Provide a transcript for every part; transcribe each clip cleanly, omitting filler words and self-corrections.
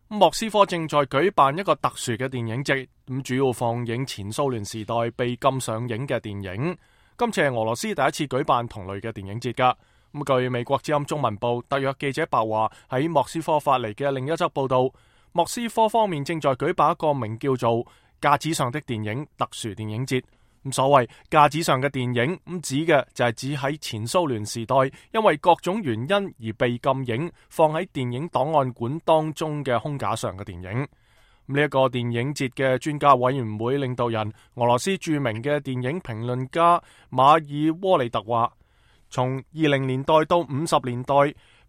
莫斯科正在舉辦一個特殊嘅電影節，咁主要放映前蘇聯時代被禁上映嘅電影。今次係俄羅斯第一次舉辦同類嘅電影節噶。咁據美國之音中文部特約記者白華喺莫斯科發嚟嘅另一則報道，莫斯科方面正在舉辦一個名叫做架子上的電影特殊電影節。咁所謂架子上嘅電影，咁指嘅就係指喺前蘇聯時代因為各種原因而被禁影，放喺電影檔案館當中嘅空架上嘅電影。呢一個電影節嘅專家委員會領導人俄羅斯著名嘅電影評論家馬爾窩利特話，從20年代到50年代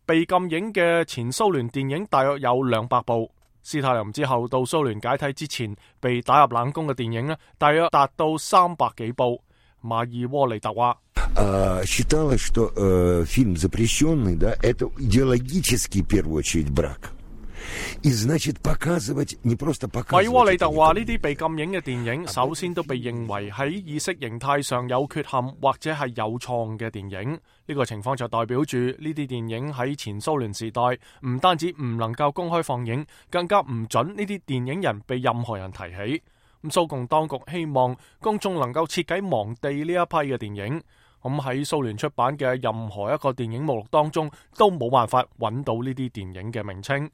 被禁影嘅前蘇聯電影大約有200部。斯大林之後到蘇聯解體之前被打入冷宮嘅電影大約達到300幾部。馬爾窩利特話считалось, что фильм запрещенный, да, это идеологический, в первую очередь, брак. И значит, показывать, не просто показывать. 馬爾窩利特話呢啲被禁影嘅電影首先都被認為喺意識形態上有缺陷或者係有錯嘅電影。呢個情況就代表住呢啲電影喺前蘇聯時代唔單止唔能夠公開放映，更加唔准呢啲電影人被任何人提起。咁蘇共當局希望公眾能夠徹底忘記呢一批嘅電影。咁喺蘇聯出版嘅任何一個電影目錄當中都冇辦法揾到呢啲電影嘅名稱。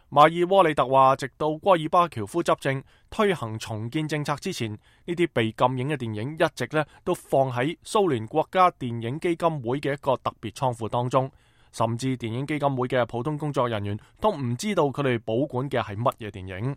馬爾窩利特話，直到戈爾巴喬夫執政推行重建政策之前，呢啲被禁影嘅電影一直都放喺蘇聯國家電影基金會嘅一個特別倉庫當中，甚至電影基金會嘅普通工作人員都唔知道佢哋保管嘅係乜嘢電影。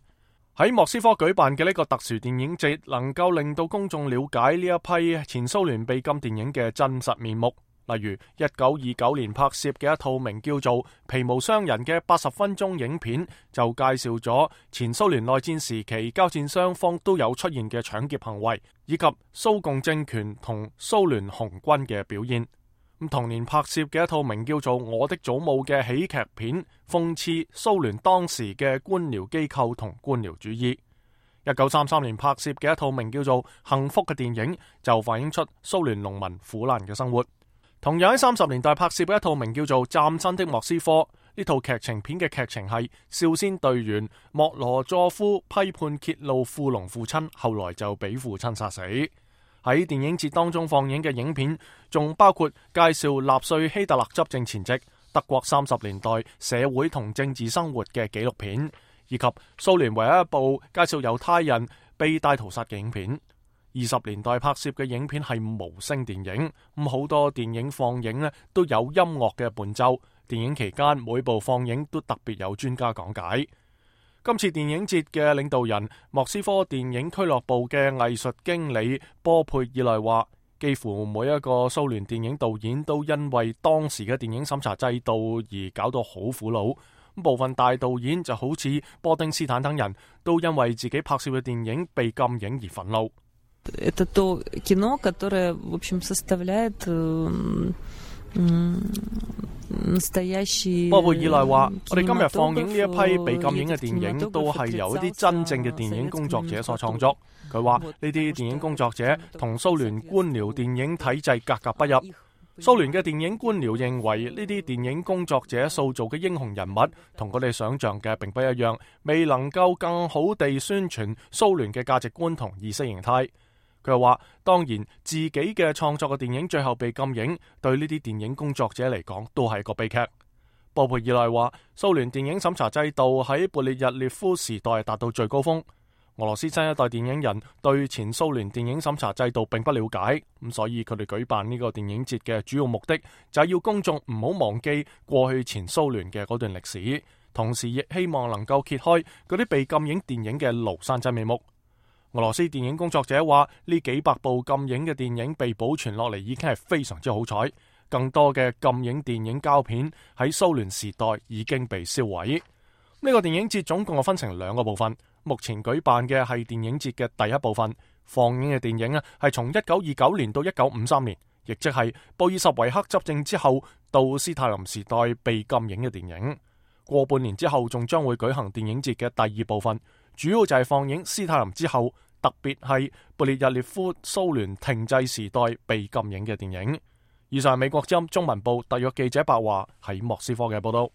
喺莫斯科舉辦嘅呢個特殊電影節，能夠令到公眾了解呢一批前蘇聯被禁電影嘅真實面目。例如1929年拍攝嘅一套名叫做《皮毛商人》嘅80分鐘影片，就介紹咗前蘇聯內戰時期交戰雙方都有出現嘅搶劫行為，以及蘇共政權同蘇聯紅軍嘅表現。同年拍攝嘅一套名叫做《我的祖母》嘅喜劇片，諷刺蘇聯當時嘅官僚機構同官僚主義。1933年拍攝嘅一套名叫做《幸福》嘅電影，就反映出蘇聯農民苦難嘅生活。同樣喺30年代拍攝嘅一套名叫做《嶄新的莫斯科》，呢套劇情片嘅劇情係少先隊員莫羅佐夫批判揭露富農父親，後來就俾父親殺死。喺電影節當中放映嘅影片仲包括介紹納粹希特勒執政前夕德國30年代社會同政治生活嘅紀錄片，以及蘇聯唯一一部介紹猶太人被大屠殺嘅影片。20年代拍攝嘅影片係無聲電影，咁好多電影放映都有音樂嘅伴奏。電影期間每部放映都特別有專家講解。今次電影節嘅領導人莫斯科電影俱樂部嘅藝術經理波佩爾內話，幾乎每一個蘇聯電影導演都因為當時嘅電影審查制度而搞到好苦惱。部分大導演就好似波丁斯坦等人都因為自己拍攝嘅電影被禁影而憤怒。Это то кино, которое, в общем, составляет настоящий。波佩爾內話：我哋今日放映呢一批被禁影嘅電影，都係由一啲真正嘅電影工作者所創作。佢話呢啲電影工作者同蘇聯官僚電影體制格格不入。蘇聯嘅電影官僚認為呢啲電影工作者塑造嘅英雄人物同佢哋想象嘅並不一樣，未能夠更好地宣傳蘇聯嘅價值觀同意識形態。佢又話，當然自己嘅創作嘅電影最後被禁影，對呢啲電影工作者嚟講都係一個悲劇。波佩爾內話，蘇聯電影審查制度喺勃列日涅夫時代達到最高峰。俄羅斯新一代電影人對前蘇聯電影審查制度並不了解，咁所以佢哋舉辦呢個電影節嘅主要目的就係要公眾唔好忘記過去前蘇聯嘅嗰段歷史，同時亦希望能夠揭開嗰啲被禁影電影嘅廬山真面目。俄羅斯電影工作者話，呢幾百部禁影嘅電影被保存落嚟已經係非常之好彩，更多嘅禁影電影膠片喺蘇聯時代已經被銷毀。呢個電影節總共分成2個部分，目前舉辦嘅係電影節嘅第一部分，放映嘅電影係從1929年到1953年，亦即係布爾什維克執政之後到斯大林時代被禁影嘅電影。過半年之後仲將會舉行電影節嘅第2部分，主要就係放映斯大林之後，特別係勃列日涅夫蘇聯停滯時代被禁影嘅電影。以上係美國之音中文部特約記者白華喺莫斯科嘅報道。